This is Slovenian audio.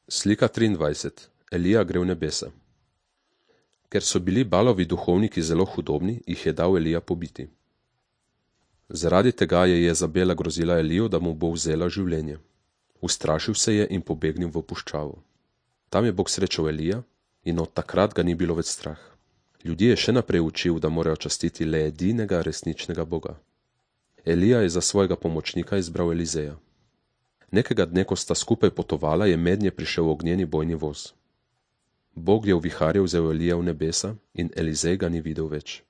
Slika 23. Elija gre v nebesa. Ker so bili Balovi duhovniki zelo hudobni, jih je dal Elija pobiti. Zaradi tega je Jezabela grozila Eliju, da mu bo vzela življenje. Ustrašil se je in pobegnil v puščavo. Tam je Bog srečal Elija in od takrat ga ni bilo več strah. Ljudje je še naprej učil, da morajo častiti le edinega resničnega Boga. Elija je za svojega pomočnika izbral Elizeja. Nekega dne, ko sta skupaj potovala, je mednje prišel ognjeni bojni voz. Bog je v viharju vzel Elija v nebesa in Elizej ga ni videl več.